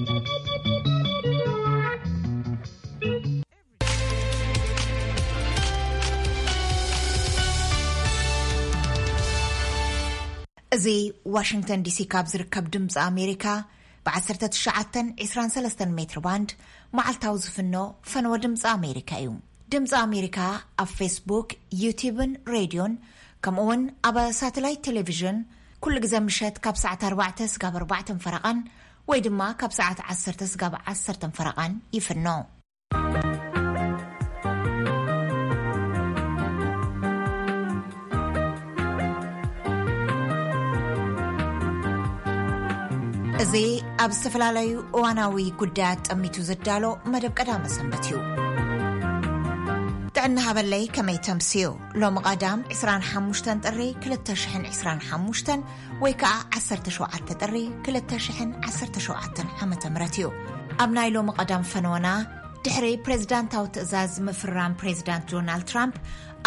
እዚ ዋሽንግተን ዲሲ ካብ ዝርከብ ድምፂ ኣሜሪካ ብ1923 ሜትር ባንድ መዓልታዊ ዝፍኖ ፈነወ ድምፂ ኣሜሪካ እዩ። ድምፂ ኣሜሪካ ኣብ ፌስቡክ፣ ዩቲብን ሬድዮን፣ ከምኡ እውን ኣብ ሳተላይት ቴሌቪዥን ኩሉ ግዜ ምሸት ካብ ሰዓት ኣርባዕተ ስጋብ ኣርባዕተን ፈረቓን ወይ ድማ ካብ ሰዓት ዓሰርተ ስጋብ ዓሰርተን ፈረቓን ይፍኖ። እዚ ኣብ ዝተፈላለዩ እዋናዊ ጉዳያት ጠሚቱ ዝዳሎ መደብ ቀዳመ ሰንበት እዩ። ጥዕና ሃበለይ፣ ከመይ ተምስዩ? ሎሚ ቀዳም ዕስራን ሓሙሽተን ጥሪ ክልተ ሽሕን ዕስራን ሓሙሽተን ወይ ከዓ ዓሰርተ ሸውዓተ ጥሪ ክልተ ሽሕን ዓሰርተ ሸውዓተን ዓመተ ምህረት እዩ። ኣብ ናይ ሎሚ ቀዳም ፈነወና ድሕሪ ፕሬዝዳንታዊ ትእዛዝ ምፍራም ፕሬዝዳንት ዶናልድ ትራምፕ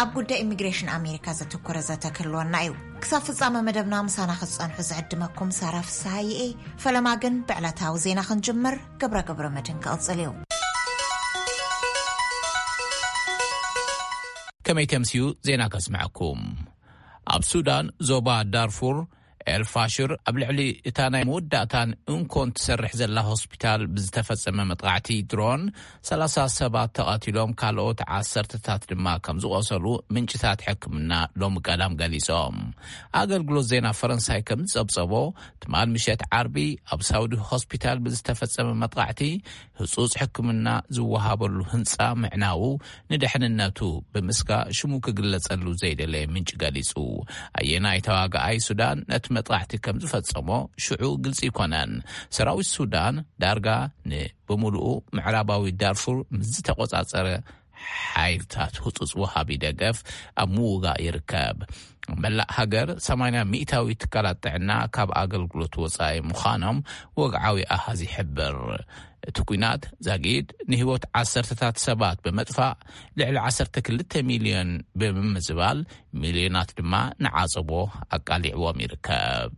ኣብ ጉዳይ ኢሚግሬሽን ኣሜሪካ ዘተኮረ ዘተ ክህልወና እዩ። ክሳብ ፍጻመ መደብና ምሳና ክትጸንሑ ዝዕድመኩም ሳራ ፍስሃየ እየ። ፈለማ ግን ብዕለታዊ ዜና ክንጅምር ግብረ ግብረ መድን ክቕጽል እዩ። ከመይ ተምስዩ ዜና ከስምዐኩም። ኣብ ሱዳን ዞባ ዳርፉር ኤልፋሽር ኣብ ልዕሊ እታ ናይ መወዳእታን እንኮን ትሰርሕ ዘላ ሆስፒታል ብዝተፈጸመ መጥቃዕቲ ድሮን ሰላሳ ሰባት ተቐቲሎም፣ ካልኦት ዓሰርተታት ድማ ከም ዝቖሰሉ ምንጭታት ሕክምና ሎሚ ቀዳም ገሊጾም። ኣገልግሎት ዜና ፈረንሳይ ከም ዝጸብጸቦ፣ ትማል ምሸት ዓርቢ ኣብ ሳውዲ ሆስፒታል ብዝተፈጸመ መጥቃዕቲ ህጹጽ ሕክምና ዝወሃበሉ ህንጻ ምዕናዉ ንድሕንነቱ ብምስጋ ሽሙ ክግለጸሉ ዘይደለየ ምንጭ ገሊጹ። ኣየናይ ተዋጋኣይ ሱዳን ነቲ መጥቃዕቲ ከም ዝፈጸሞ ሽዑ ግልጺ ኣይኮነን። ሰራዊት ሱዳን ዳርጋ ንብምሉኡ ምዕራባዊ ዳርፉር ምስ ዝተቆጻጸረ ሓይልታት ህጹጽ ወሃቢ ደገፍ ኣብ ምውጋእ ይርከብ። መላእ ሃገር ሰማንያ ሚእታዊ ትካላት ጥዕና ካብ ኣገልግሎት ወጻኢ ምዃኖም ወግዓዊ ኣሃዝ ይሕብር። እቲ ኲናት ዛጊድ ንህይወት ዓሰርተታት ሰባት ብምጥፋእ፣ ልዕሊ ዓሰርተ ክልተ ሚልዮን ብምምዝባል፣ ሚልዮናት ድማ ንዓጸቦ ኣቃሊዕዎም ይርከብ።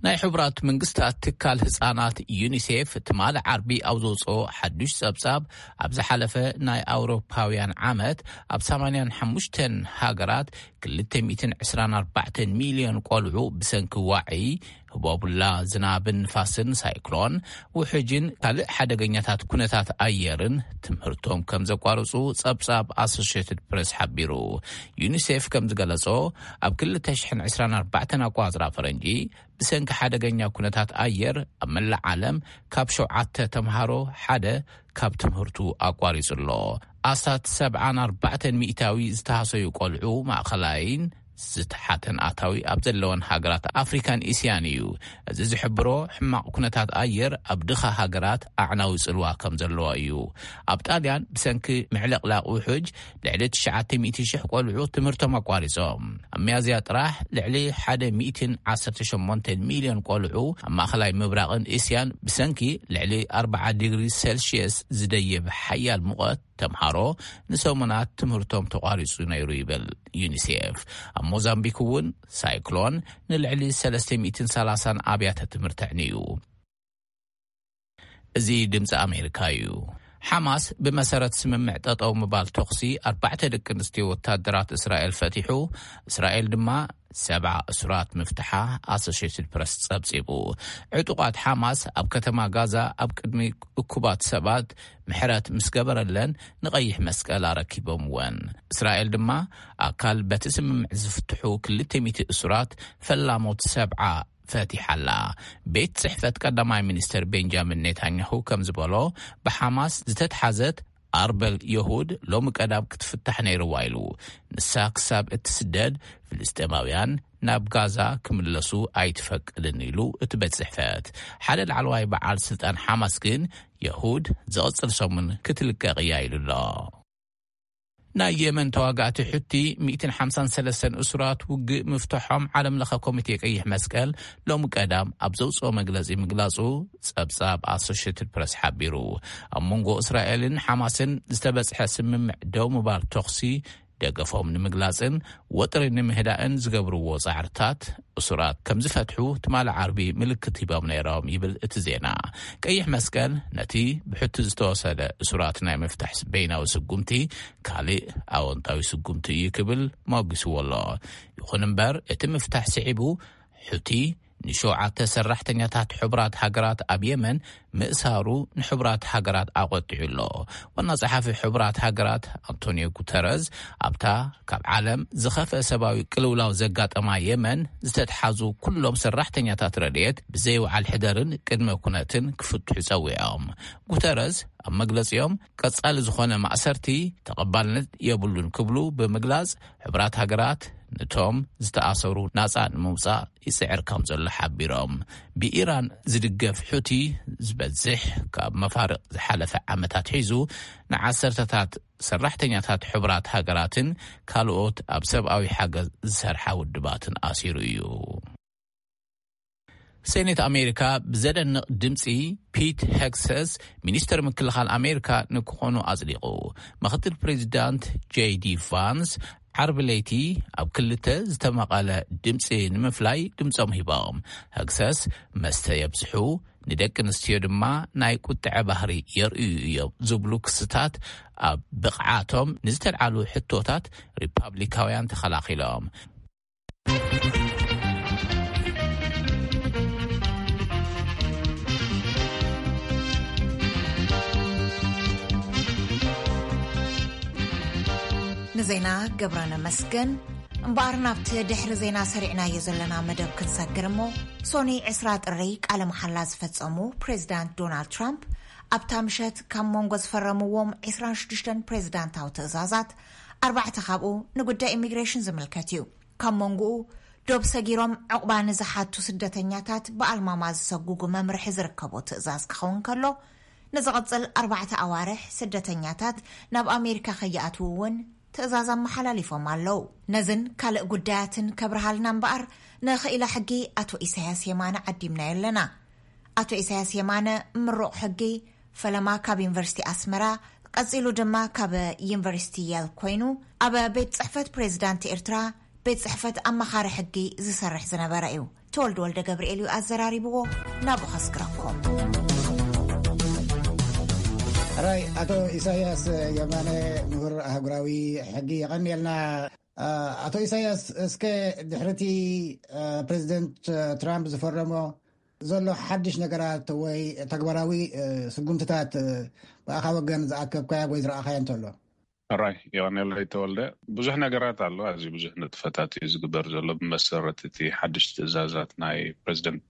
ናይ ሕቡራት መንግስታት ትካል ህጻናት ዩኒሴፍ ትማሊ ዓርቢ ኣብ ዘውጽኦ ሓዱሽ ጸብጻብ፣ ኣብ ዝሓለፈ ናይ ኣውሮፓውያን ዓመት ኣብ ሰማንያን ሓሙሽተን ሃገራት ክልተ ሚእትን ዕስራን ኣርባዕተን ሚልዮን ቆልዑ ብሰንኪ ዋዒ፣ ህቦቡላ፣ ዝናብን ንፋስን፣ ሳይክሎን፣ ውሕጅን ካልእ ሓደገኛታት ኩነታት ኣየርን ትምህርቶም ከም ዘቋርጹ ጸብጻብ ኣሶሽየትድ ፕሬስ ሓቢሩ። ዩኒሴፍ ከም ዝገለጾ፣ ኣብ ክልተ ሽሕን ዕስራን ኣርባዕተን ኣቋጽራ ፈረንጂ፣ ብሰንኪ ሓደገኛ ኩነታት ኣየር ኣብ መላእ ዓለም ካብ ሸውዓተ ተምሃሮ ሓደ ካብ ትምህርቱ ኣቋሪጹ ኣሎ። ኣስታት ሰብዓን ኣርባዕተን ሚእታዊ ዝተሃሰዩ ቆልዑ ማእኸላይን ዝተሓተን ኣታዊ ኣብ ዘለወን ሃገራት ኣፍሪካን እስያን እዩ። እዚ ዝሕብሮ፣ ሕማቕ ኩነታት ኣየር ኣብ ድኻ ሃገራት ኣዕናዊ ጽልዋ ከም ዘለዎ እዩ። ኣብ ጣልያን ብሰንኪ ምዕልቕላቕ ውሑጅ ልዕሊ ትሽዓተ ሚእቲ ሽሕ ቆልዑ ትምህርቶም ኣቋሪጾም። ኣብ ሚያዝያ ጥራሕ ልዕሊ ሓደ ሚእትን ዓሰርተ ሸሞንተን ሚልዮን ቆልዑ ኣብ ማእኸላይ ምብራቕን እስያን ብሰንኪ ልዕሊ ኣርብዓ ዲግሪ ሴልሽየስ ዝደይብ ሓያል ሙቐት ተምሃሮ ንሰሙናት ትምህርቶም ተቋሪጹ ነይሩ ይብል ዩኒሴፍ። ኣብ ሞዛምቢክ እውን ሳይክሎን ንልዕሊ ሰለስተ ሚእትን ሰላሳን ኣብያተ ትምህርቲ ኣዕንዩ። እዚ ድምፂ ኣሜሪካ እዩ። ሓማስ ብመሰረት ስምምዕ ጠጠው ምባል ተኹሲ ኣርባዕተ ደቂ ኣንስትዮ ወታደራት እስራኤል ፈቲሑ፣ እስራኤል ድማ ሰብዓ እሱራት ምፍትሓ ኣሶሽየትድ ፕረስ ጸብጺቡ። ዕጡቓት ሓማስ ኣብ ከተማ ጋዛ ኣብ ቅድሚ እኩባት ሰባት ምሕረት ምስ ገበረለን፣ ንቐይሕ መስቀል ኣረኪቦምወን። እስራኤል ድማ ኣካል በቲ ስምምዕ ዝፍትሑ ክልተ ሚእቲ እሱራት ፈላሞት ሰብዓ ፈቲሓ ኣላ። ቤት ጽሕፈት ቀዳማይ ሚኒስትር ቤንጃሚን ኔታንያሁ ከም ዝበሎ፣ ብሓማስ ዝተትሓዘት ኣርበል የሁድ ሎሚ ቀዳም ክትፍታሕ ነይርዋ ኢሉ። ንሳ ክሳብ እትስደድ፣ ፍልስጤማውያን ናብ ጋዛ ክምለሱ ኣይትፈቅድን ኢሉ እቲ ቤት ጽሕፈት። ሓደ ላዕለዋይ በዓል ስልጣን ሓማስ ግን፣ የሁድ ዝቕጽል ሰሙን ክትልቀቕ እያ ኢሉ ኣሎ። ናይ የመን ተዋጋእቲ ሑቲ ሚእትን ሓምሳን ሰለስተን እሱራት ውግእ ምፍትሖም ዓለም ለኸ ኮሚቴ ቀይሕ መስቀል ሎሚ ቀዳም ኣብ ዘውፅኦ መግለፂ ምግላፁ ፀብፃብ ኣሶሽየትድ ፕረስ ሓቢሩ። ኣብ መንጎ እስራኤልን ሓማስን ዝተበፅሐ ስምምዕ ደው ምባል ተኹሲ ደገፎም ንምግላጽን ወጥሪ ንምህዳእን ዝገብርዎ ጻዕርታት፣ እሱራት ከም ዝፈትሑ ትማሊ ዓርቢ ምልክት ሂቦም ነይሮም ይብል እቲ ዜና። ቀይሕ መስቀል ነቲ ብሕቲ ዝተወሰደ እሱራት ናይ ምፍታሕ በይናዊ ስጉምቲ ካልእ ኣወንታዊ ስጉምቲ እዩ ክብል መጒስዎ ኣሎ። ይኹን እምበር እቲ ምፍታሕ ስዒቡ ሑቲ ንሸውዓተ ሰራሕተኛታት ሕቡራት ሃገራት ኣብ የመን ምእሳሩ ንሕቡራት ሃገራት ኣቖጢዑ ኣሎ። ዋና ጸሓፊ ሕቡራት ሃገራት ኣንቶኒዮ ጉተረዝ ኣብታ ካብ ዓለም ዝኸፍአ ሰብኣዊ ቅልውላው ዘጋጠማ የመን ዝተትሓዙ ኩሎም ሰራሕተኛታት ረድኤት ብዘይወዓል ሕደርን ቅድመ ኩነትን ክፍትሑ ጸዊዖም። ጉተረዝ ኣብ መግለጺኦም ቀጻሊ ዝኾነ ማእሰርቲ ተቐባልነት የብሉን ክብሉ ብምግላጽ፣ ሕቡራት ሃገራት ነቶም ዝተኣሰሩ ናጻ ንምውጻእ ይጽዕር ከም ዘሎ ሓቢሮም። ብኢራን ዝድገፍ ሑቲ ዝበዝሕ ካብ መፋርቕ ዝሓለፈ ዓመታት ሒዙ ንዓሰርተታት ሰራሕተኛታት ሕቡራት ሃገራትን ካልኦት ኣብ ሰብኣዊ ሓገዝ ዝሰርሓ ውድባትን ኣሲሩ እዩ። ሴኔት ኣሜሪካ ብዘደንቕ ድምፂ ፒት ሄግሰስ ሚኒስተር ምክልኻል ኣሜሪካ ንክኾኑ ኣጽዲቑ። ምክትል ፕሬዚዳንት ጄዲ ቫንስ ዓርቢ ለይቲ ኣብ ክልተ ዝተመቐለ ድምፂ ንምፍላይ ድምፆም ሂቦም። ሄግሰስ መስተ የብዝሑ፣ ንደቂ ኣንስትዮ ድማ ናይ ቁጥዐ ባህሪ የርእዩ እዮም ዝብሉ ክስታት ኣብ ብቕዓቶም ንዝተልዓሉ ሕቶታት ሪፓብሊካውያን ተኸላኺሎም። ንዜና ገብረ ነመስገን። እምበኣር ናብቲ ድሕሪ ዜና ሰሪዕናዮ ዘለና መደብ ክንሰግር እሞ፣ ሶኒ ዕስራ ጥሪ ቃለ መሓላ ዝፈጸሙ ፕሬዚዳንት ዶናልድ ትራምፕ ኣብታ ምሸት ካብ መንጎ ዝፈረምዎም ዕስራን ሽዱሽተን ፕሬዚዳንታዊ ትእዛዛት ኣርባዕተ ካብኡ ንጉዳይ ኢሚግሬሽን ዝምልከት እዩ። ካብ መንጎኡ ዶብ ሰጊሮም ዕቑባ ንዝሓቱ ስደተኛታት ብኣልማማ ዝሰጉጉ መምርሒ ዝርከቦ ትእዛዝ ክኸውን ከሎ፣ ንዝቕጽል ኣርባዕተ ኣዋርሕ ስደተኛታት ናብ ኣሜሪካ ከይኣትዉ እውን ትእዛዝ ኣመሓላሊፎም ኣለዉ። ነዝን ካልእ ጉዳያትን ከብርሃልና እምበኣር ንኽኢላ ሕጊ ኣቶ ኢሳያስ የማነ ዓዲምናዮ ኣለና። ኣቶ ኢሳያስ የማነ ምሩቕ ሕጊ፣ ፈለማ ካብ ዩኒቨርሲቲ ኣስመራ፣ ቀጺሉ ድማ ካብ ዩኒቨርሲቲ የል ኮይኑ፣ ኣብ ቤት ጽሕፈት ፕሬዚዳንት ኤርትራ ቤት ጽሕፈት ኣማኻሪ ሕጊ ዝሰርሕ ዝነበረ እዩ። ተወልደ ወልደ ገብርኤል እዩ ኣዘራሪብዎ። ናብኡ ከስግረኩም። ራይ ኣቶ ኢሳያስ የማነ፣ ምሁር ኣህጉራዊ ሕጊ፣ የቐንየልና። ኣቶ ኢሳያስ፣ እስከ ድሕርቲ ፕሬዚደንት ትራምፕ ዝፈረሞ ዘሎ ሓድሽ ነገራት ወይ ተግባራዊ ስጉምትታት ብኣኻ ወገን ዝኣከብካያ ወይ ዝረኣኻያ እንተሎ? ሕራይ የቐንየለይ ተወልደ። ብዙሕ ነገራት ኣሎ። ኣዝዩ ብዙሕ ንጥፈታት እዩ ዝግበር ዘሎ ብመሰረት እቲ ሓድሽ ትእዛዛት ናይ ፕሬዚደንት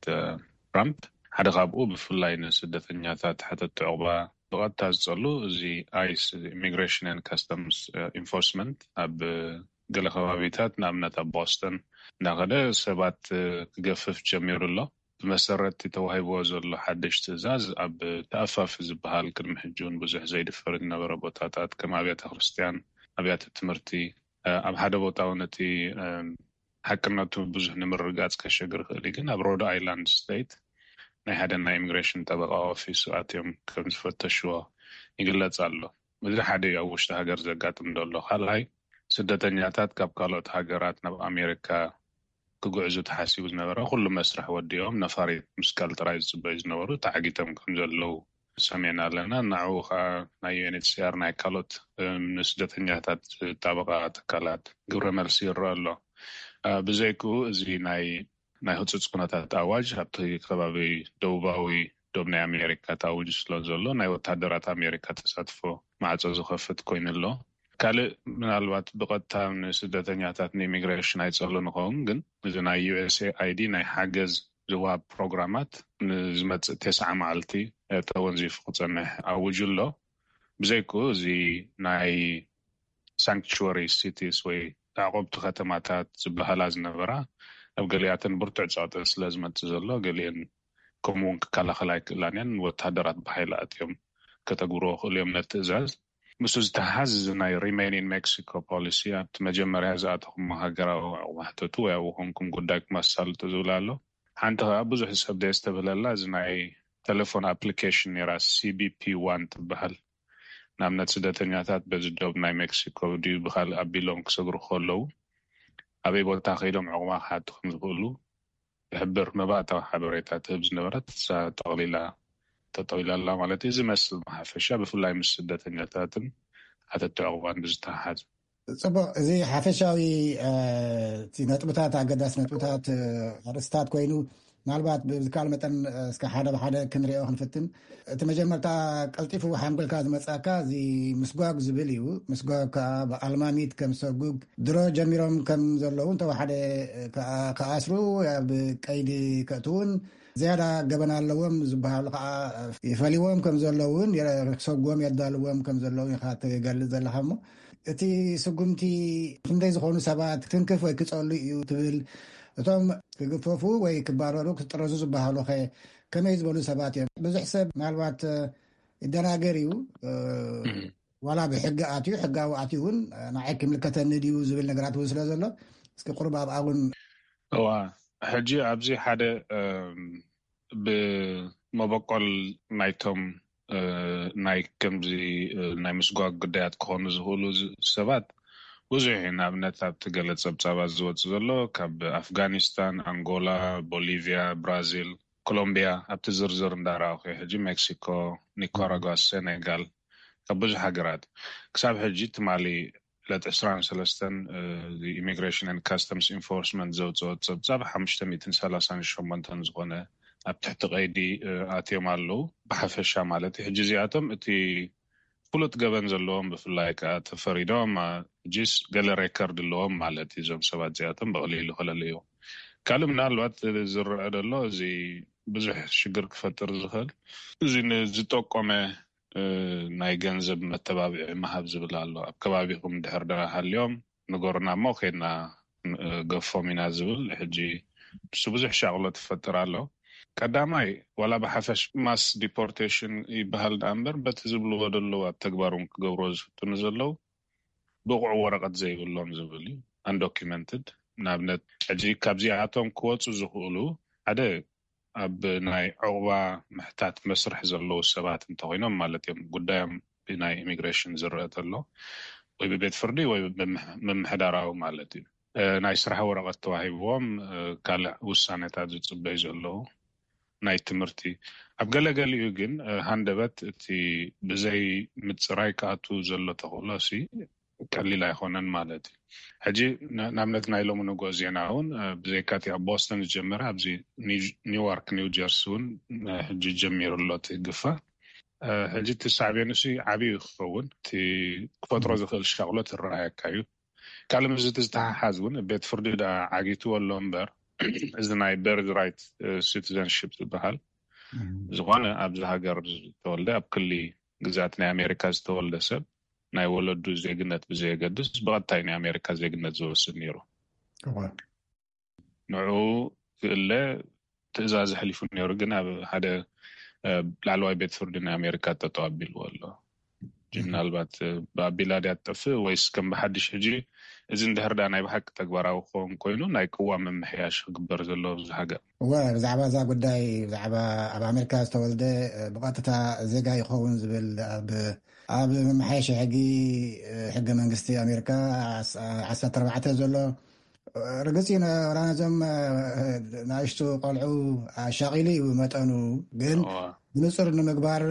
ትራምፕ። ሓደ ካብኡ ብፍላይ ንስደተኛታት ሓተቲ ዕቑባ ብቐጥታ ዝጸሉ እዚ ኣይስ፣ ኢሚግሬሽን ኤንድ ካስተምስ ኢንፎርስመንት፣ ኣብ ገለ ከባቢታት፣ ንኣብነት ኣብ ቦስተን እንዳኸደ ሰባት ክገፍፍ ጀሚሩ ኣሎ። ብመሰረት እቲ ተዋሂብዎ ዘሎ ሓድሽ ትእዛዝ፣ ኣብ ተኣፋፊ ዝበሃል፣ ቅድሚ ሕጂ እውን ብዙሕ ዘይድፈር ዝነበረ ቦታታት፣ ከም ኣብያተ ክርስቲያን፣ ኣብያተ ትምህርቲ፣ ኣብ ሓደ ቦታ እውን እቲ ሓቅነቱ ብዙሕ ንምርግጋጽ ከሸግር ይኽእል እዩ። ግን ኣብ ሮድ ኣይላንድ ስቴት ናይ ሓደ ናይ ኢሚግሬሽን ጠበቃ ኦፊስ ኣትዮም ከም ዝፈተሽዎ ይግለጽ ኣሎ። እዚ ሓደ እዩ ኣብ ውሽጢ ሃገር ዘጋጥም ዘሎ። ካልኣይ፣ ስደተኛታት ካብ ካልኦት ሃገራት ናብ ኣሜሪካ ክጉዕዙ ተሓሲቡ ዝነበረ ኩሉ መስርሕ ወዲኦም ነፋሪት ምስቃል ጥራይ ዝጽበዩ ዝነበሩ ተዓጊቶም ከም ዘለዉ ሰሚዕና ኣለና። ንዕኡ ኸኣ ናይ ዩ ኤን ኤች ሲ ኣር ናይ ካልኦት፣ እም፣ ንስደተኛታት ዝጣበቓ ትካላት ግብረ መልሲ ይረአ ኣሎ። እ፣ ብዘይክኡ እዚ ናይ፣ ናይ ህጹጽ ኩነታት ኣዋጅ ኣብቲ ከባቢ ደቡባዊ ዶብ ናይ ኣሜሪካ ተኣዊጁ ስለ ዘሎ ናይ ወተሃደራት ኣሜሪካ ተሳትፎ ማዕጾ ዝኸፍት ኮይኑ ኣሎ። ካልእ ምናልባት ብቐጥታ ንስደተኛታት ንኢሚግሬሽን ኣይጸሉ ንኸውን፣ ግን እዚ ናይ ዩ ኤስ ኤ ኣይ ዲ ናይ ሓገዝ ዝወሃብ ፕሮግራማት ንዝመጽእ ተስዓ መዓልቲ፣ እ፣ ተወንዚፉ ክጸንሕ ኣውጁ ኣሎ። ብዘይክኡ እዚ ናይ ሳንክቹዋሪ ሲቲስ ወይ ኣዕቆብቲ ከተማታት ዝበሃላ ዝነበራ ኣብ ገሊኣተን ብርቱዕ ጸቕጢ ስለ ዝመጽእ ዘሎ፣ ገሊአን ከምኡ እውን ክከላኸላ ኣይክእላን እየን። ወተሃደራት ብሓይሊ ኣትዮም ከተግብርዎ ክእሉ እዮም ነቲ ትእዛዝ። ምስኡ ዝተሓሓዝ እዚ ናይ ሪሜን ኢን ሜክሲኮ ፖሊሲ፣ ኣብቲ መጀመርያ ዝኣተኹሞ ሃገራዊ ዕቑባ ሕተቱ ወይ ኣብኡ ኮንኩም ጉዳይኩም ኣሳልጡ ዝብል ኣሎ። ሓንቲ ከኣ ብዙሕ ሰብ ዘየስተብህለላ እዚ ናይ ቴሌፎን ኣፕሊኬሽን ነይራ፣ ሲ ቢ ፒ ዋን ትበሃል። ንኣብነት ስደተኛታት በዚ ዶብ ናይ ሜክሲኮ ድዩ ብካልእ ኣቢሎም ክሰግሩ ከለዉ ኣበይ ቦታ ከይዶም ዕቑባ ክሓቱ ከም ዝኽእሉ ዝሕብር መባእታዊ ሓበሬታ ትህብ ዝነበረት እሳ ጠቕሊላ ተጠቕሊላ ኣላ ማለት እዩ። እዚ መስል ብሓፈሻ ብፍላይ ምስ ስደተኛታትን ሓተቲ ዕቑባን ብዝተሓሓዝ። ጽቡቕ። እዚ ሓፈሻዊ ነጥብታት፣ ኣገዳሲ ነጥብታት፣ ኣርእስታት ኮይኑ ምናልባት ብዝከኣል መጠን እስከ ሓደ ብሓደ ክንሪኦ ክንፍትን። እቲ መጀመርታ ቀልጢፉ ሓንጎልካ ዝመጻካ እዚ ምስጓግ ዝብል እዩ። ምስጓግ ከዓ ብኣልማሚት ከም ሰጉግ ድሮ ጀሚሮም ከም ዘለዉ እንተወሓደ ክኣስሩ ኣብ ቀይዲ ከእትውን ዝያዳ ገበን ኣለዎም ዝበሃሉ ከዓ ይፈልዎም ከም ዘለውን ክሰጉዎም የዳልዎም ከም ዘለውን ኢኻ ትገልጽ ዘለኻ። እሞ እቲ ስጉምቲ ክንደይ ዝኾኑ ሰባት ክትንክፍ ወይ ክጸሉ እዩ ትብል? እቶም ክግፈፉ ወይ ክባረሩ ክጥረዙ ዝበሃሉ ከ ከመይ ዝበሉ ሰባት እዮም? ብዙሕ ሰብ ምናልባት ይደናገር እዩ። ዋላ ብሕጊ ኣትዩ ሕጋዊ ኣትዩ እውን ንዓይ ክምልከተኒ ድዩ ዝብል ነገራት እውን ስለ ዘሎ እስኪ ቁሩብ ኣብኣ እውን። እዋ ሕጂ ኣብዚ ሓደ ብመበቆል ናይቶም ናይ ከምዚ ናይ ምስጓግ ጉዳያት ክኾኑ ዝኽእሉ ሰባት ብዙሕ እዩ። ንኣብነት ኣብቲ ገለ ጸብጻባት ዝወጽእ ዘሎ ካብ ኣፍጋኒስታን፣ ኣንጎላ፣ ቦሊቪያ፣ ብራዚል፣ ኮሎምቢያ ኣብቲ ዝርዝር እንዳረኣኹ ሕጂ ሜክሲኮ፣ ኒካራጓ፣ ሴኔጋል ካብ ብዙሕ ሃገራት ክሳብ ሕጂ ትማሊ ዕለት ዕስራን ሰለስተን ኢሚግሬሽን ን ካስተምስ ኢንፎርስመንት ዘውፅኦ ፀብፃብ ሓሙሽተ ሚእትን ሰላሳን ሸሞንተን ዝኾነ ኣብ ትሕቲ ቀይዲ ኣትዮም ኣለዉ። ብሓፈሻ ማለት እዩ። ሕጂ እዚኣቶም እቲ ፍሉጥ ገበን ዘለዎም ብፍላይ ከዓ ተፈሪዶም ሕጂስ ገለ ሬከርድ ኣለዎም ማለት እዩ። እዞም ሰባት እዚኣቶም ብቐሊሉ ክለለዩ ካልእ ምናልባት ዝረአ ዘሎ እዚ ብዙሕ ሽግር ክፈጥር ዝኽእል እዚ ንዝጠቆመ ናይ ገንዘብ መተባብዒ ምሃብ ዝብል ኣሎ። ኣብ ከባቢኹም ድሕር ዳ ሃልዮም ንገሩና እሞ ከይድና ገፎም ኢና ዝብል ሕጂ ንሱ ብዙሕ ሻቕሎ ትፈጥር ኣሎ። ቀዳማይ ዋላ ብሓፈሽ ማስ ዲፖርቴሽን ይበሃል ደኣ እምበር በቲ ዝብልዎ ዘለዉ ኣብ ተግባር እውን ክገብርዎ ዝፍትኑ ዘለዉ ብቑዕ ወረቐት ዘይብሎም ዝብል እዩ። ኣንዶኪመንትድ ንኣብነት ሕጂ ካብዚኣቶም ክወፁ ዝኽእሉ ሓደ ኣብ ናይ ዕቑባ ምሕታት መስርሕ ዘለዉ ሰባት እንተኮይኖም ማለት እዮም። ጉዳዮም ብናይ ኢሚግሬሽን ዝረአ ተሎ ወይ ብቤት ፍርዲ ወይ ምምሕዳራዊ ማለት እዩ። ናይ ስራሕ ወረቐት ተዋሂብዎም ካልእ ውሳኔታት ዝፅበዩ ዘለዉ ናይ ትምህርቲ ኣብ ገለገሊኡ ግን ሃንደበት እቲ ብዘይ ምፅራይ ክኣቱ ዘሎ ተኽእሎ ሲ ቀሊል ኣይኮነን ማለት እዩ። ሕጂ ንኣብነት ናይ ሎሚ ንጎ ዜና እውን ብዘይካቲ ኣብ ቦስተን ዝጀመረ ኣብዚ ኒውዮርክ ኒው ጀርሲ እውን ሕጂ ጀሚሩ ኣሎ እቲ ግፋ። ሕጂ እቲ ሳዕቤኑ ሲ ዓብዩ ክኸውን እቲ ክፈጥሮ ዝኽእል ሻቕሎት ይረኣየካ እዩ። ካልእ ምስዚ ዝተሓሓዝ እውን ቤት ፍርዲ ደኣ ዓጊትዎ ኣሎ እምበር እዚ ናይ በርዝ ራይት ሲቲዘንሽፕ ዝበሃል ዝኾነ ኣብዚ ሃገር ዝተወልደ ኣብ ክሊ ግዛት ናይ ኣሜሪካ ዝተወልደ ሰብ ናይ ወለዱ ዜግነት ብዘየገድስ ብቐጥታ ናይ ኣሜሪካ ዜግነት ዝወስድ ነይሩ። ንዑ ክእለ ትእዛዝ ኣሕሊፉ ነይሩ፣ ግን ኣብ ሓደ ላዕለዋይ ቤት ፍርዲ ናይ ኣሜሪካ ጠጠው ኣቢልዎ ኣሎ። ምናልባት ብኣቢላ ድያ ትጠፍእ ወይስ ከም ብሓድሽ ሕጂ እዚ እንድሕር ዳ ናይ ብሓቂ ተግባራዊ ክኸውን ኮይኑ ናይ ቅዋም ምምሕያሽ ክግበር ዘለዎ ኣብዚ ሃገር? እወ፣ ብዛዕባ እዛ ጉዳይ ብዛዕባ ኣብ ኣሜሪካ ዝተወልደ ብቐጥታ ዜጋ ይኸውን ዝብል ኣብ ኣብ መመሓየሺ ሕጊ ሕገ መንግስቲ ኣሜሪካ ዓሰርተ ኣርባዕተ ዘሎ ርግፅ እዩ። ነዞም ንኣሽቱ ቆልዑ ኣሻቒሉ እዩ መጠኑ፣ ግን ብንፁር ንምግባር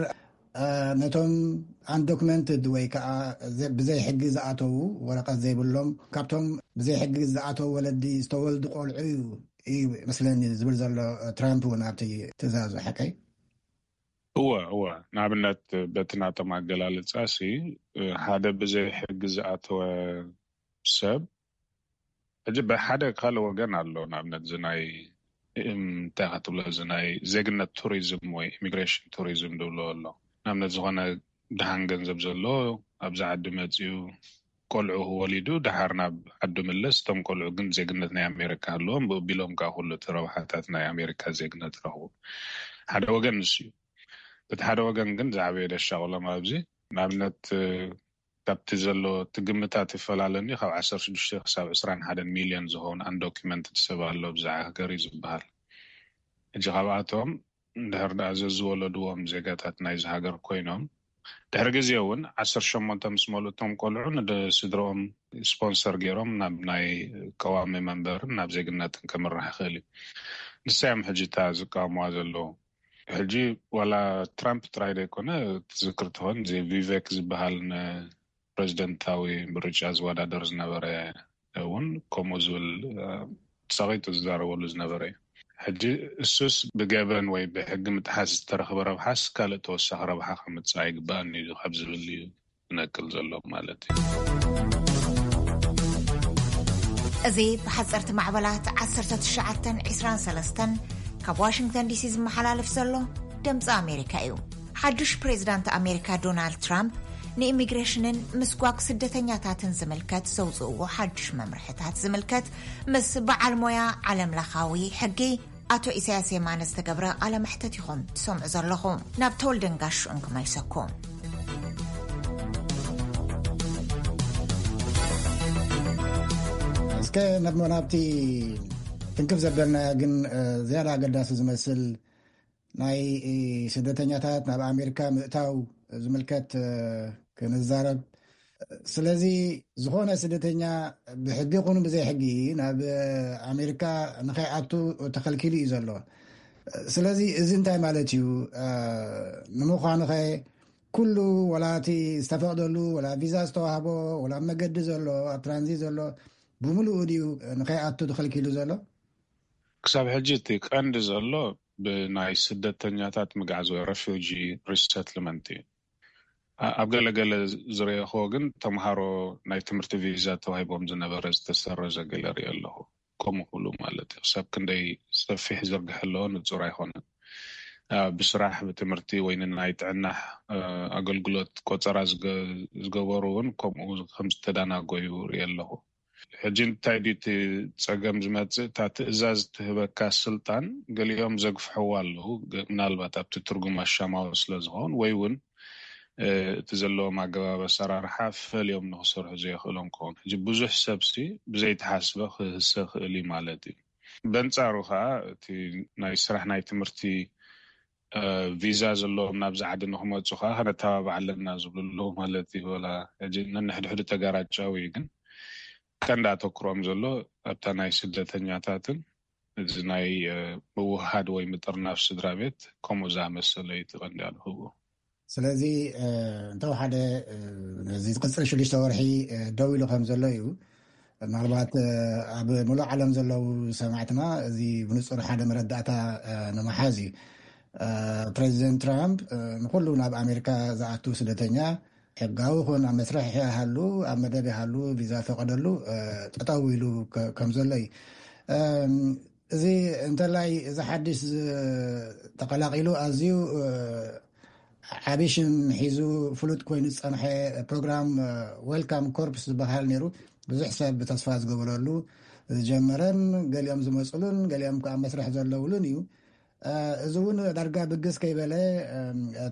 ነቶም ኣንዶክመንትድ ወይ ከዓ ብዘይ ሕጊ ዝኣተዉ፣ ወረቀት ዘይብሎም፣ ካብቶም ብዘይ ሕጊ ዝኣተዉ ወለዲ ዝተወልዱ ቆልዑ እዩ እዩ መስለኒ ዝብል ዘሎ ትራምፕ እውን ኣብቲ ትእዛዙ። ሓቀይ? እወ እወ። ንኣብነት በቲ ናቶም ኣገላልፃ ሲ ሓደ ብዘይ ሕጊ ዝኣተወ ሰብ ሕጂ ብሓደ ካልእ ወገን ኣሎ። ንኣብነት እዚ ናይ እንታይ ክትብሎ እዚ ናይ ዜግነት ቱሪዝም ወይ ኢሚግሬሽን ቱሪዝም ዝብሎ ኣሎ። ንኣብነት ዝኾነ ድሃን ገንዘብ ዘሎ ኣብዚ ዓዲ መፅዩ ቆልዑ ወሊዱ ድሓር ናብ ዓዱ ምለስ። እቶም ቆልዑ ግን ዜግነት ናይ ኣሜሪካ ኣለዎም። ብቢሎም ከዓ ኩሉ እቲ ረብሓታት ናይ ኣሜሪካ ዜግነት ረኽቡ። ሓደ ወገን ንሱ እዩ። በቲ ሓደ ወገን ግን ዝዓበየ ደሻቕሎም ኣብዚ ንኣብነት ካብቲ ዘሎ እቲ ግምታት ይፈላለኒ ካብ ዓሰርተ ሽዱሽተ ክሳብ ዕስራን ሓደን ሚልዮን ዝኸውን ኣንዶኪመንትድ ሰብ ኣሎ ብዛ ሃገር እዩ ዝበሃል። ሕጂ ካብኣቶም እንድሕር ደኣ ዘዝወለድዎም ዜጋታት ናይዚ ሃገር ኮይኖም ድሕሪ ግዜ እውን ዓሰርተ ሸሞንተ ምስ መልኡ እቶም ቆልዑ ንስድረኦም ስፖንሰር ገይሮም ናብ ናይ ቀዋሚ መንበርን ናብ ዜግነትን ከምራሕ ይኽእል እዩ። ንሳዮም ሕጂ እታ ዝቃወምዋ ዘለዉ። ሕጂ ዋላ ትራምፕ ጥራይ ዘይኮነ፣ ትዝክር ትኾን እዚ ቪቬክ ዝበሃል ንፕሬዚደንታዊ ምርጫ ዝወዳደር ዝነበረ እውን ከምኡ ዝብል ሰቂጡ ዝዛረበሉ ዝነበረ እዩ። ሕጂ እሱስ ብገበን ወይ ብሕጊ ምጥሓስ ዝተረኽበ ረብሓስ ካልእ ተወሳኺ ረብሓ ከምፅእ ኣይግባእን እዩ ካብ ዝብል እዩ ዝነቅል ዘሎ ማለት እዩ። እዚ ብሓፀርቲ ማዕበላት ዓሰርተ ትሽዓተን ዕስራን ሰለስተን ካብ ዋሽንግተን ዲሲ ዝመሓላለፍ ዘሎ ድምፂ ኣሜሪካ እዩ። ሓዱሽ ፕሬዚዳንት ኣሜሪካ ዶናልድ ትራምፕ ንኢሚግሬሽንን ምስጓግ ስደተኛታትን ዝምልከት ዘውፅእዎ ሓዱሽ መምርሕታት ዝምልከት ምስ በዓል ሞያ ዓለም ለኻዊ ሕጊ ኣቶ ኢሳያስ የማነ ዝተገብረ ቃለ መሕተት ኢኹም ትሰምዑ ዘለኹም። ናብ ተወልደን ጋሹን ክመልሰኩም። እስከ ናብ ናብቲ ትንክፍ ዘበልና ግን ዝያዳ ኣገዳሲ ዝመስል ናይ ስደተኛታት ናብ ኣሜሪካ ምእታው ዝምልከት ክንዛረብ። ስለዚ ዝኾነ ስደተኛ ብሕጊ ይኹን ብዘይ ሕጊ ናብ ኣሜሪካ ንኸይኣቱ ተኸልኪሉ እዩ ዘሎ። ስለዚ እዚ እንታይ ማለት እዩ? ንምዃኑ ኸ ኩሉ ወላ እቲ ዝተፈቕደሉ ወላ ቪዛ ዝተዋህቦ ወላ መገዲ ዘሎ ኣብ ትራንዚት ዘሎ ብምሉኡ ድዩ ንኸይኣቱ ተኸልኪሉ ዘሎ? ክሳብ ሕጂ እቲ ቀንዲ ዘሎ ብናይ ስደተኛታት ምግዓዝ ወይ ረፊጂ ሪሰትልመንት እዩ። ኣብ ገለገለ ዝረእኹዎ ግን ተምሃሮ ናይ ትምህርቲ ቪዛ ተዋሂቦም ዝነበረ ዝተሰረዘ ገለ ርኢ ኣለኹ። ከምኡ ክብሉ ማለት እዩ። ክሳብ ክንደይ ሰፊሕ ዝርግሐ ኣለዎ ንፁር ኣይኮነን። ብስራሕ ብትምህርቲ ወይ ንናይ ጥዕና ኣገልግሎት ቆፀራ ዝገበሩ እውን ከምኡ ከምዝተዳናጎዩ ርኢ ኣለኹ። ሕጂ እንታይ ድዩ እቲ ፀገም ዝመፅእ? እታ ትእዛዝ ትህበካ ስልጣን ገሊኦም ዘግፍሕዋ ኣለዉ። ምናልባት ኣብቲ ትርጉም ኣሻማዊ ስለዝኸውን ወይ እውን እቲ ዘለዎም ኣገባብ ኣሰራርሓ ፈልዮም ንክሰርሑ ዘየኽእሎም ክኸውን። ሕጂ ብዙሕ ሰብሲ ብዘይተሓስበ ክህሰ ክእል እዩ ማለት እዩ። በንፃሩ ከዓ እቲ ናይ ስራሕ ናይ ትምህርቲ ቪዛ ዘለዎም ናብዚ ዓዲ ንክመፁ ከዓ ከነተባብዕ ኣለና ዝብሉ ኣለዉ ማለት እዩ። ወላ ሕጂ ነንሕድሕዱ ተጋራጫዊ እዩ፣ ግን ቀንዲ ኣተኩሮም ዘሎ ኣብታ ናይ ስደተኛታትን እዚ ናይ ምውሃድ ወይ ምጥርናፍ ስድራ ቤት ከምኡ ዝኣመሰለ እዩ እቲ ቀንዲ ኣድህቦ። ስለዚ እንተወሓደ ነዚ ዝቅፅል ሽዱሽተ ወርሒ ደው ኢሉ ከም ዘሎ እዩ። ምናልባት ኣብ ሙሉእ ዓለም ዘለዉ ሰማዕትና እዚ ብንፁር ሓደ መረዳእታ ንምሓዝ እዩ። ፕሬዚደንት ትራምፕ ንኩሉ ናብ ኣሜሪካ ዝኣቱ ስደተኛ ሕጋዊ ይኹን ኣብ መስርሕ ይሃሉ ኣብ መደብ ይሃሉ ቪዛ ፈቀደሉ ጠጠው ኢሉ ከም ዘሎ እዩ። እዚ እንተላይ እዚ ሓድሽ ተቀላቂሉ ኣዝዩ ዓብይ ሽም ሒዙ ፍሉጥ ኮይኑ ዝፀንሐ ፕሮግራም ዌልካም ኮርፕስ ዝበሃል ነይሩ። ብዙሕ ሰብ ብተስፋ ዝገበረሉ ዝጀመረን ገሊኦም ዝመፅሉን ገሊኦም ከዓ መስርሕ ዘለውሉን እዩ። እዚ እውን ዳርጋ ብግስ ከይበለ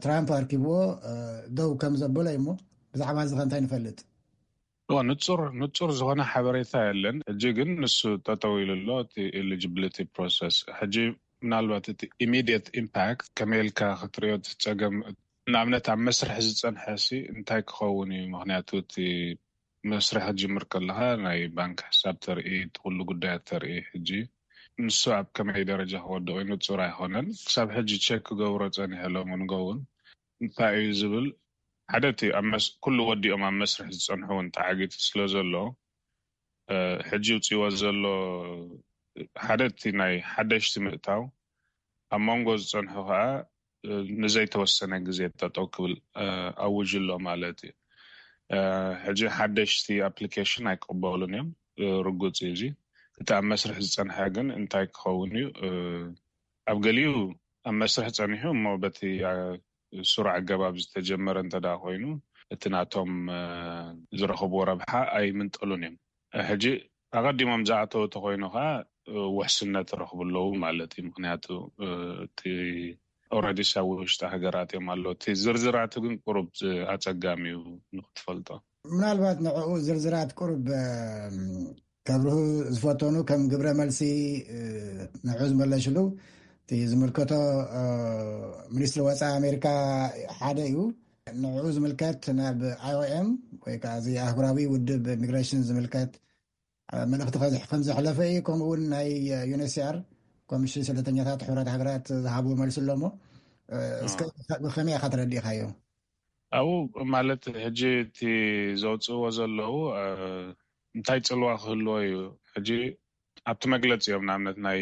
ትራምፕ ኣርኪብዎ ደው ከም ዘበሎ እዩሞ ብዛዕባ እዚ ከ እንታይ ንፈልጥ? ንፁር ንፁር ዝኾነ ሓበሬታ የለን። ሕጂ ግን ንሱ ጠጠው ኢሉ ኣሎ እቲ ኤሊጂቢሊቲ ፕሮሰስ። ሕጂ ምናልባት እቲ ኢሚዲየት ኢምፓክት ከመይ ኢልካ ክትሪኦ እቲ ፀገም ንኣብነት ኣብ መስርሒ ዝፀንሐ ሲ እንታይ ክኸውን እዩ? ምክንያቱ እቲ መስርሒ ክጅምር ከለካ ናይ ባንክ ሕሳብ ተርኢ፣ እቲ ኩሉ ጉዳያት ተርኢ። ሕጂ ንሱ ኣብ ከመይ ደረጃ ክወድቕ እዩ ንፁር ኣይኮነን። ክሳብ ሕጂ ቸክ ክገብሮ ፀኒሐ ሎም ንገውን እንታይ እዩ ዝብል ሓደ እቲ ኩሉ ወዲኦም ኣብ መስርሒ ዝፀንሑ እውን ተዓጊቱ ስለ ዘሎ ሕጂ ውፅእዎ ዘሎ ሓደ እቲ ናይ ሓደሽቲ ምእታው ኣብ መንጎ ዝፀንሑ ከዓ ንዘይተወሰነ ግዜ ጠጠው ክብል ኣውጅ ኣሎ ማለት እዩ። ሕጂ ሓደሽቲ ኣፕሊኬሽን ኣይቅበሉን እዮም። ርጉፅ እዩ እዚ። እቲ ኣብ መስርሒ ዝፀንሐ ግን እንታይ ክኸውን እዩ? ኣብ ገሊኡ ኣብ መስርሒ ፀኒሑ እሞ በቲ ስሩዕ ኣገባብ ዝተጀመረ እንተ ኮይኑ እቲ ናቶም ዝረኽብዎ ረብሓ ኣይምንጠሉን እዮም። ሕጂ ኣቐዲሞም ዝኣተው ተኮይኑ ከዓ ውሕስነት ረኽቡ ኣለዉ ማለት እዩ። ምክንያቱ እቲ ኦረዲስ ኣብ ውሽጢ ሃገራት እዮም ኣለዉ። እቲ ዝርዝራቱ ግን ቁሩብ ኣፀጋሚ እዩ ንክትፈልጦ። ምናልባት ንዕኡ ዝርዝራት ቁሩብ ከብርሁ ዝፈተኑ ከም ግብረ መልሲ ንዑ ዝመለሽሉ እቲ ዝምልከቶ ሚኒስትሪ ወፃኢ ኣሜሪካ ሓደ እዩ። ንዕኡ ዝምልከት ናብ ኣይ ኦ ኤም ወይ ከዓ እዚ ኣህጉራዊ ውድብ ኢሚግሬሽን ዝምልከት መልእኽቲ ከም ዘሕለፈ እዩ። ከምኡ እውን ናይ ዩ ኤን ኤች ሲ ኣር ኮሚሽን ስደተኛታት ሕቡራት ሃገራት ዝሃብዎ መልሲ ኣሎ እሞ፣ እስከ ብኸመይ ኢኻ ተረዲእካዮ? ኣብኡ ማለት ሕጂ እቲ ዘውፅእዎ ዘለዉ እንታይ ፅልዋ ክህልዎ እዩ? ሕጂ ኣብቲ መግለፂ እዮም፣ ንኣብነት ናይ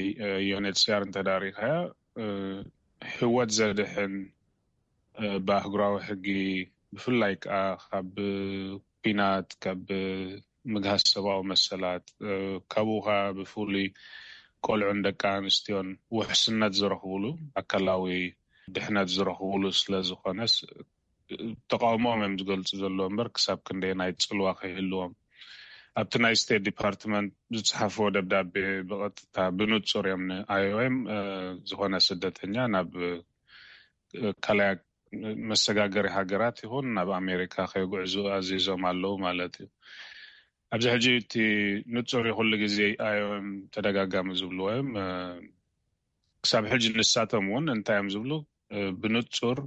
ዩ ኤን ኤች ሲ ኣር እንተዳሪኻያ፣ ህይወት ዘድሕን ብኣህጉራዊ ሕጊ፣ ብፍላይ ከዓ ካብ ኲናት፣ ካብ ምግሃስ ሰብኣዊ መሰላት፣ ካብኡ ከዓ ብፍሉይ ቆልዑን ደቂ ኣንስትዮን ውሕስነት ዝረኽብሉ፣ ኣካላዊ ድሕነት ዝረኽብሉ ስለ ዝኾነስ፣ ተቃውሞኦም እዮም ዝገልፁ ዘለዎ እምበር ክሳብ ክንደየናይ ፅልዋ ከይህልዎም፣ ኣብቲ ናይ ስቴት ዲፓርትመንት ዝፅሓፍዎ ደብዳቤ ብቐጥታ ብንፁር እዮም ን ኣይ ኦ ኤም ዝኾነ ስደተኛ ናብ ካልያ መሰጋገሪ ሃገራት ይኹን ናብ ኣሜሪካ ከይጉዕዙ ኣዚዞም ኣለዉ ማለት እዩ። ኣብዚ ሕጂ እቲ ንፁር እዩ፣ ኩሉ ግዜ ኣይ ኦ ኤም ተደጋጋሚ ዝብልዎ እዮም። ክሳብ ሕጂ ንሳቶም እውን እንታይ እዮም ዝብሉ፣ ብንፁር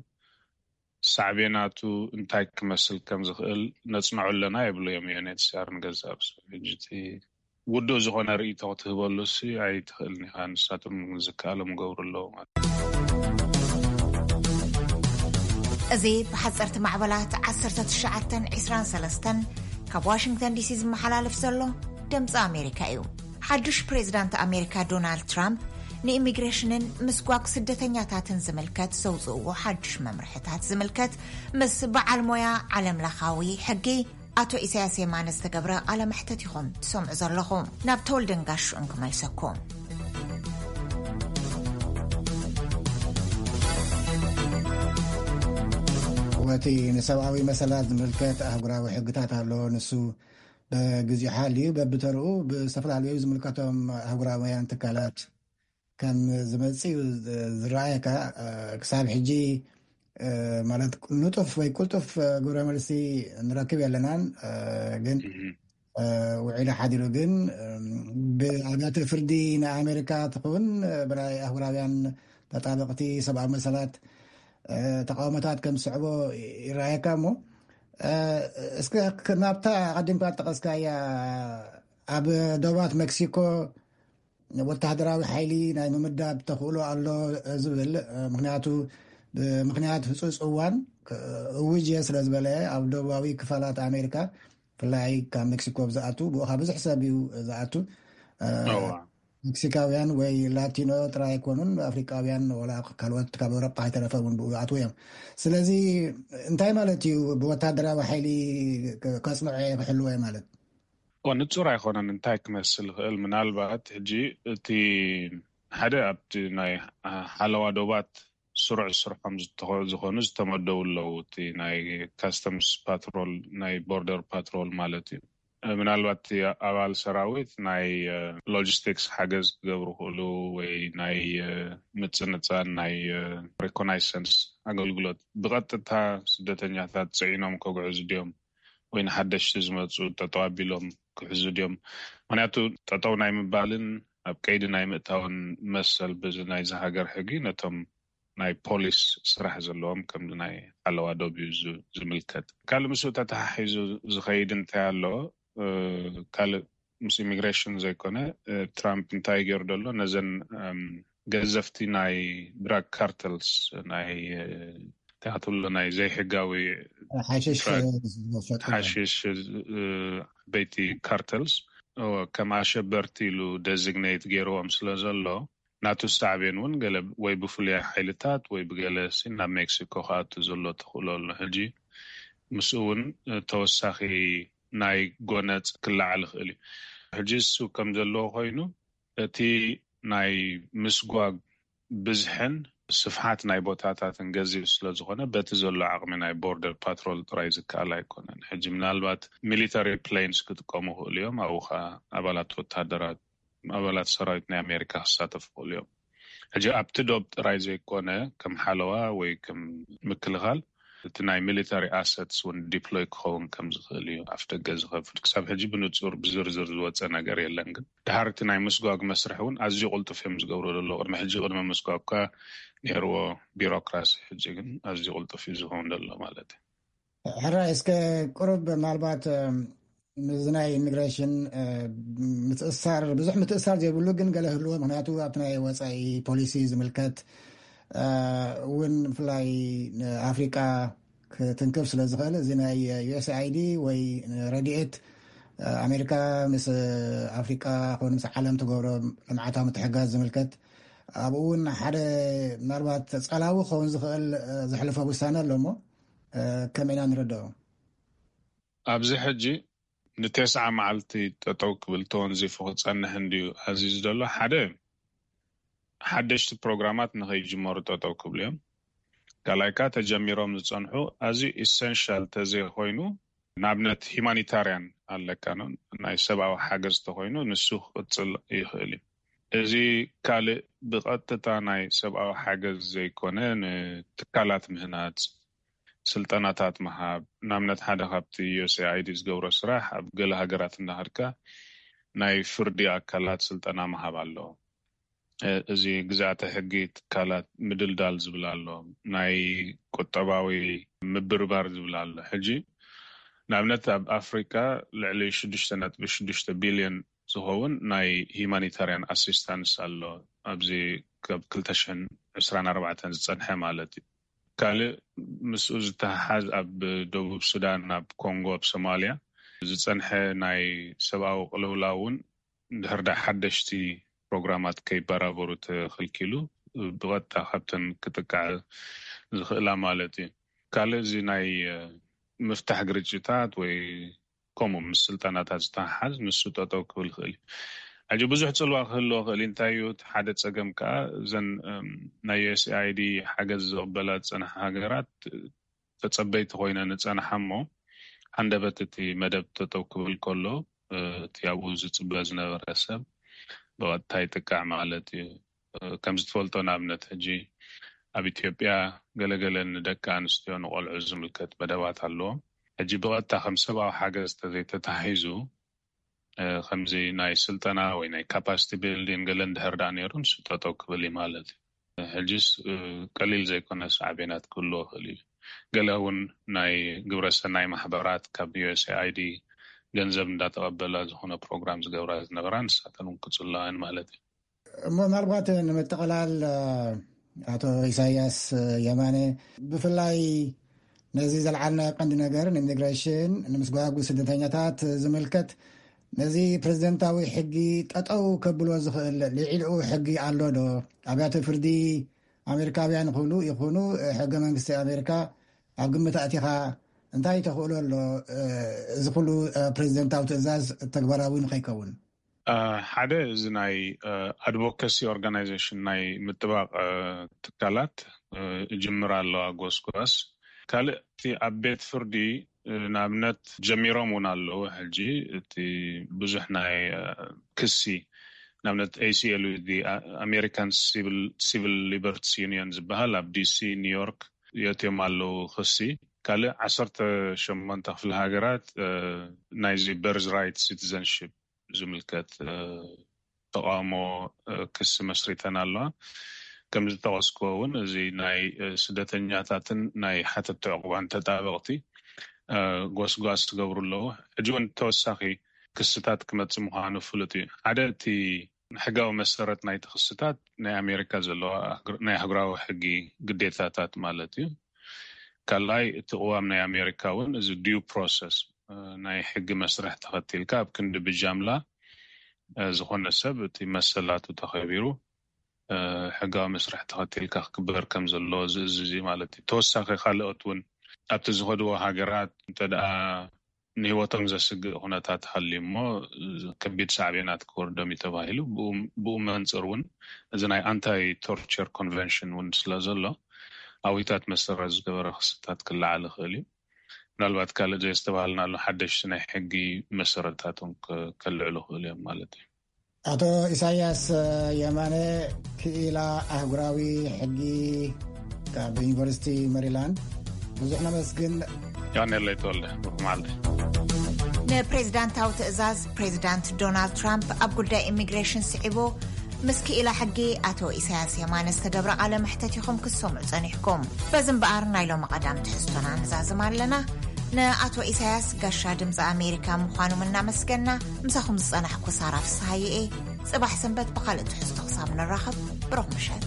ሳዕቤናቱ እንታይ ክመስል ከም ዝኽእል ነፅንዖ ኣለና ይብሉ እዮም ዩ ኤን ኤች ሲ ኣር ንገዛእ ርእሶም። ሕጂ እቲ ውዱእ ዝኾነ ርእይቶ ክትህበሉ ሲ ኣይትኽእልን ኢኻ። ንሳቶም ዝከኣሎም ይገብሩ ኣለዉ ማለት እዩ። እዚ ብሓፀርቲ ማዕበላት ዓሰርተ ትሽዓተ ዕስራን ሰለስተን ካብ ዋሽንግተን ዲሲ ዝመሓላለፍ ዘሎ ድምፂ ኣሜሪካ እዩ። ሓዱሽ ፕሬዚዳንት ኣሜሪካ ዶናልድ ትራምፕ ንኢሚግሬሽንን ምስጓግ ስደተኛታትን ዝምልከት ዘውፅእዎ ሓዱሽ መምርሕታት ዝምልከት ምስ በዓል ሞያ ዓለም ለኻዊ ሕጊ ኣቶ ኢሳያስ የማነ ዝተገብረ ቃለ መሕተት ኢኹም ትሰምዑ ዘለኹም። ናብ ተወልደን ጋሹን ክመልሰኩም። ወቲ ንሰብኣዊ መሰላት ዝምልከት ኣህጉራዊ ሕግታት ኣሎ። ንሱ ብግዚኡ ሓልዩ በብተርኡ ብዝተፈላለዩ ዝምልከቶም ኣህጉራውያን ትካላት ከም ዝመጽእ እዩ ዝረኣየካ። ክሳብ ሕጂ ማለት ንጡፍ ወይ ቅልጡፍ ግብረ መልሲ ንረክብ የለናን። ግን ውዒሉ ሓዲሩ ግን ብኣብያተ ፍርዲ ናይ ኣሜሪካ ትኹን ብናይ ኣህጉራውያን ተጣበቕቲ ሰብኣዊ መሰላት ተቃውሞታት ከም ዝስዕቦ ይረኣየካ። እሞ እስከ ናብታ ኣቀዲምካ ጠቀስካያ ኣብ ደባት ሜክሲኮ ወተሃደራዊ ሓይሊ ናይ ምምዳብ ተኽእሎ ኣሎ ዝብል፣ ምክንያቱ ብምክንያት ህፁፅ እዋን እውጅ እየ ስለ ዝበለ ኣብ ደቡባዊ ክፋላት ኣሜሪካ ብፍላይ ካብ ሜክሲኮ ዝኣቱ ብኡ ብዝሕ ሰብ እዩ ዝኣቱ። ሜክሲካውያን ወይ ላቲኖ ጥራይ ኣይኮኑን፣ ኣፍሪቃውያን ወላ ካልኦት ካብ ኣውሮጳ ከይተረፈ እውን ብኡ ይኣትዉ እዮም። ስለዚ እንታይ ማለት እዩ ብወታደራዊ ሓይሊ ከፅንዖ እየ ክሕልዎ እየ ማለት? ንፁር ኣይኮነን እንታይ ክመስል ይኽእል። ምናልባት ሕጂ እቲ ሓደ ኣብቲ ናይ ሓለዋ ዶባት ስሩዕ ስርሖም ዝኾኑ ዝተመደቡ ኣለዉ። እቲ ናይ ካስተምስ ፓትሮል፣ ናይ ቦርደር ፓትሮል ማለት እዩ። ምናልባት ኣባል ሰራዊት ናይ ሎጂስቲክስ ሓገዝ ክገብሩ ክእሉ ወይ ናይ ምፅንፃን ናይ ሪኮናይሰንስ ኣገልግሎት ብቐጥታ ስደተኛታት ፅዒኖም ከጉዕዙ ድዮም ወይ ንሓደሽቲ ዝመፁ ጠጠው ኣቢሎም ክሕዙ ድዮም? ምክንያቱ ጠጠው ናይ ምባልን ኣብ ቀይዲ ናይ ምእታውን መሰል ብዚ ናይዚ ሃገር ሕጊ ነቶም ናይ ፖሊስ ስራሕ ዘለዎም ከም ናይ ሓለዋ ዶብ እዩ ዝምልከት። ካልእ ምስኡ ተተሓሒዙ ዝኸይድ እንታይ ኣሎ? ካልእ ምስ ኢሚግሬሽን ዘይኮነ ትራምፕ እንታይ ገይሩ ዘሎ ነዘን ገዘፍቲ ናይ ድራግ ካርተልስ ናይ ትብሎ ናይ ዘይሕጋዊ ሓሽሽ በይቲ ካርተልስ ከም ኣሸበርቲ ኢሉ ደዚግኔት ገይርዎም ስለ ዘሎ ናቱ ሳዕቤን እውን ገለ ወይ ብፍሉያ ሓይልታት ወይ ብገለ ናብ ሜክሲኮ ክኣቱ ዘሎ ተኽእሎ ኣሎ። ሕጂ ምስኡ እውን ተወሳኺ ናይ ጎነፅ ክለዓል ይኽእል እዩ። ሕጂ እሱ ከም ዘለዎ ኮይኑ እቲ ናይ ምስጓግ ብዝሕን ስፍሓት ናይ ቦታታትን ገዚፍ ስለ ዝኾነ በቲ ዘሎ ዓቕሚ ናይ ቦርደር ፓትሮል ጥራይ ዝከኣል ኣይኮነን። ሕጂ ምናልባት ሚሊተሪ ፕሌንስ ክጥቀሙ ይኽእሉ እዮም። ኣብኡ ኸዓ ኣባላት ወታደራት ኣባላት ሰራዊት ናይ ኣሜሪካ ክሳተፉ ይኽእሉ እዮም። ሕጂ ኣብቲ ዶብ ጥራይ ዘይኮነ ከም ሓለዋ ወይ ከም ምክልኻል እቲ ናይ ሚሊታሪ ኣሰትስ እውን ዲፕሎይ ክኸውን ከም ዝኽእል እዩ ኣፍ ደገ ዝኸፍት። ክሳብ ሕጂ ብንፁር ብዝርዝር ዝወፀ ነገር የለን፣ ግን ድሓር እቲ ናይ ምስጓግ መስርሕ እውን ኣዝዩ ቅልጡፍ እዮም ዝገብሩ ዘሎ። ቅድሚ ሕጂ ቅድሚ ምስጓግካ ነይርዎ ቢሮክራሲ፣ ሕጂ ግን ኣዝዩ ቅልጡፍ እዩ ዝኸውን ዘሎ ማለት እዩ። ሕራይ እስከ ቁሩብ ምናልባት፣ እም፣ ምስዚ ናይ ኢሚግሬሽን፣ እ፣ ምትእሳር፣ ብዙሕ ምትእሳር ዘይብሉ ግን ገለ ህልዎ፣ ምኽንያቱ ኣብቲ ናይ ወጻኢ ፖሊሲ ዝምልከት፣ እ፣ እውን ብፍላይ ንኣፍሪቃ ክትንክፍ ስለ ዝኽእል፣ እዚ ናይ ዩ ኤስ ኣይ ዲ ወይ ረድኤት፣ እ፣ ኣሜሪካ ምስ ኣፍሪቃ ኮነ ምስ ዓለም ትገብሮ ልምዓታዊ ምትሕጋዝ ዝምልከት፣ ኣብኡ እውን ሓደ ምናልባት ጸላዊ ክኸውን ዝኽእል፣ እ፣ ዘሕልፎ ውሳነ ኣሎ እሞ፣ እ፣ ከመይ ኢና ንረድኦ? ኣብዚ ሕጂ ንተስዓ መዓልቲ ጠጠው ክብል ተወንዚፉ ክጸንሕ እንድዩ ኣዚዙ ዘሎ። ሓደ፣ ሓደሽቲ ፕሮግራማት ንኸይጅመሩ ጠጠው ክብሉ እዮም። ካልኣይ ከኣ ተጀሚሮም ዝጸንሑ ኣዝዩ ኢሰንሻል ተዘይኮይኑ፣ ንኣብነት ሂማኒታርያን ኣለካ ነው፣ ናይ ሰብኣዊ ሓገዝ ተኾይኑ ንሱ ክቕጽል ይኽእል እዩ። እዚ ካልእ ብቐጥታ ናይ ሰብኣዊ ሓገዝ ዘይኮነ ንትካላት ምህናጽ፣ ስልጠናታት ምሃብ፣ ንኣብነት ሓደ ካብቲ ዩ ኤስ ኤ ኣይ ዲ ዝገብሮ ስራሕ ኣብ ገለ ሃገራት እናኸድካ ናይ ፍርዲ ኣካላት ስልጠና ምሃብ ኣሎ። እ፣ እዚ ግዝኣተ ሕጊ ትካላት ምድልዳል ዝብል ኣሎ፣ ናይ ቁጠባዊ ምብርባር ዝብል ኣሎ። ሕጂ ንኣብነት ኣብ ኣፍሪቃ ልዕሊ ሽዱሽተ ነጥቢ ሽዱሽተ ቢልዮን ዝኸውን ናይ ሂማኒታርያን ኣሲስታንስ ኣሎ። ኣብዚ ካብ ክልተ ሽሕን ዕስራን ኣርባዕተን ዝጸንሐ ማለት እዩ። ካልእ ምስኡ ዝተሓሓዝ ኣብ ደቡብ ሱዳን፣ ኣብ ኮንጎ፣ ኣብ ሶማልያ ዝጸንሐ ናይ ሰብኣዊ ቅልውላው እውን እንድሕር ደኣ ሓደሽቲ ፕሮግራማት ከይበራበሩ ተኸልኪሉ ብቐጥታ ካብተን ክጥቃዕ ዝኽእላ ማለት እዩ። ካልእ እዚ ናይ፣ እ፣ ምፍታሕ ግርጭታት ወይ ከምኡ ምስ ስልጠናታት ዝተሓሓዝ ንሱ ጠጠው ክብል ይኽእል እዩ። ሕጂ ብዙሕ ጽልዋ ክህልዎ ክእል እዩ። እንታይ እዩ እቲ ሓደ ጸገም ከኣ እዘን፣ እም፣ ናይ ዩ ኤስ ኤ ኣይ ዲ ሓገዝ ዝቕበላ ዝጸንሓ ሃገራት ተጸበይቲ ኮይነን ዝጸንሓ እሞ፣ ሃንደበት እቲ መደብ ጠጠው ክብል ከሎ፣ እ፣ እቲ ኣብኡ ዝጽበ ዝነበረ ሰብ ብቐጥታ ይጥቃዕ ማለት እዩ። እ፣ ከም ዝትፈልጦ ንኣብነት ሕጂ ኣብ ኢትዮጵያ ገለገለ ንደቂ ኣንስትዮ ንቆልዑ ዝምልከት መደባት ኣለዎም። ሕጂ ብቐጥታ ከም ሰብኣዊ ሓገዝ ተዘይተታሒዙ፣ እ፣ ከምዚ ናይ ስልጠና ወይ ናይ ካፓሲቲ ቢልዲንግ ገለ እንድሕር ደኣ ነይሩ ንሱ ጠጠው ክብል እዩ ማለት እዩ። ሕጂስ፣ እ፣ ቀሊል ዘይኮነ ሳዕቤናት ክህልዎ ይኽእል እዩ። ገለ እውን ናይ ግብረ ሰናይ ማሕበራት ካብ ዩ ኤስ ኤ ኣይ ዲ ገንዘብ እንዳተቐበላ ዝኾነ ፕሮግራም ዝገብራ ዝነበራ ንሳተን እውን ክጽለዋ እየን ማለት እዩ። እሞ ምናልባት ንምጥቕላል፣ እ፣ ኣቶ ኢሳያስ የማነ፣ ብፍላይ ነዚ ዘልዓልናዮ ቀንዲ ነገር ንኢሚግሬሽን፣ ንምስጓጉ ስደተኛታት ዝምልከት ነዚ ፕሬዚደንታዊ ሕጊ ጠጠው ከብሎ ዝኽእል ልዒልኡ ሕጊ ኣሎ ዶ? ኣብያተ ፍርዲ ኣሜሪካውያን ይኹኑ፣ ይኹኑ ሕገ መንግስቲ ኣሜሪካ ኣብ ግምት ኣእቲኻ እንታይ ተኽእሎ ኣሎ፣ እ፣ እዚ ኩሉ፣ እ፣ ፕሬዚደንታዊ ትእዛዝ ተግባራዊ ንኸይከውን? እ፣ ሓደ እዚ ናይ፣ እ፣ ኣድቮካሲ ኦርጋናይዜሽን ናይ ምጥባቕ፣ እ፣ ትካላት፣ እ፣ ይጅምር ኣለዋ ጎስጓስ። ካልእ እቲ ኣብ ቤት ፍርዲ፣ እ፣ ንኣብነት ጀሚሮም እውን ኣለዉ። ሕጂ እቲ ብዙሕ ናይ፣ እ፣ ክሲ ንኣብነት ኤ ሲ ኤል ዩ ዲ፣ ኣ-፣ ኣሜሪካን ሲቪል፣ ሲቪል ሊበርቲስ ዩኒየን ዝበሃል ኣብ ዲ ሲ፣ ኒውዮርክ የእትዮም ኣለዉ ክሲ። ካልእ ዓሰርተ ሸሞንተ ክፍለ ሃገራት፣ እ፣ ናይዚ በርዝ ራይት ሲቲዘንሺፕ ዝምልከት፣ እ፣ ተቃውሞ፣ እ፣ ክሲ መስሪተን ኣለዋ። ከም ዝጠቀስክዎ እውን እዚ ናይ፣ እ፣ ስደተኛታትን ናይ ሓተቲ ዕቁባን ተጣበቅቲ፣ እ፣ ጎስጓስ ትገብሩ ኣለዉ። ሕጂ እውን ተወሳኺ ክስታት ክመጽእ ምዃኑ ፍሉጥ እዩ። ሓደ እቲ ሕጋዊ መሰረት ናይቲ ክስታት ናይ ኣሜሪካ ዘለዋ ኣህግር-፣ ናይ ኣህጉራዊ ሕጊ ግዴታታት ማለት እዩ። ካልኣይ እቲ ቅዋም ናይ ኣሜሪካ እውን እዚ ዲዩ ፕሮሰስ፣ እ፣ ናይ ሕጊ መስርሕ ተኸቲልካ ኣብ ክንዲ ብጃምላ፣ እ፣ ዝኾነ ሰብ እቲ መሰላቱ ተኸቢሩ፣ እ፣ ሕጋዊ መስርሕ ተኸቲልካ ክግበር ከም ዘለዎ ዝእዝዝ እዩ ማለት እዩ። ተወሳኺ ካልኦት እውን ኣብቲ ዝኸድዎ ሃገራት እንተ ደኣ ንህይወቶም ዘስግእ ኩነታት ሃልዩ እሞ ከቢድ ሳዕቤናት ክወርዶም እዩ ተባሂሉ። ብኡ፣ ብኡ መንጽር እውን እዚ ናይ ኣንታይ ቶርቸር ኮንቨንሽን እውን ስለ ዘሎ ኣዊታት መሰረት ዝገበረ ክስታት ክለዓል ይኽእል እዩ። ምናልባት ካልእ ዘየስተባሃልናሉ ሓደሽቲ ናይ ሕጊ መሰረታት እውን ከ-፣ ከልዕሉ ይኽእሉ እዮም ማለት እዩ። ኣቶ ኢሳያስ የማነ፣ ክኢላ ኣህጉራዊ ሕጊ ካብ ዩኒቨርሲቲ መሪላንድ፣ ብዙሕ ነመስግን። ዮሃንኤል ለይተወልደ፣ ብሩኽ መዓልቲ። ንፕሬዚዳንታዊ ትእዛዝ ፕሬዚዳንት ዶናልድ ትራምፕ ኣብ ጉዳይ ኢሚግሬሽን ስዒቡ ምስ ክኢላ ሕጊ ኣቶ ኢሳያስ የማነ ዝተገብረ ቃለ መሕተት ኢኹም ክትሰምዑ ጸኒሕኩም። በዚ እምበኣር ናይ ሎሚ ቀዳም ትሕዝቶና ንዛዝም ኣለና። ንኣቶ ኢሳያስ ጋሻ ድምፂ ኣሜሪካ ምዃኖም እናመስገና፣ ምሳኹም ዝጸናሕኩ ሳራ ፍስሃየ እየ። ጽባሕ ሰንበት ብኻልእ ትሕዝቶ ክሳብ ንራኸብ፣ ብሩኽ ምሸት።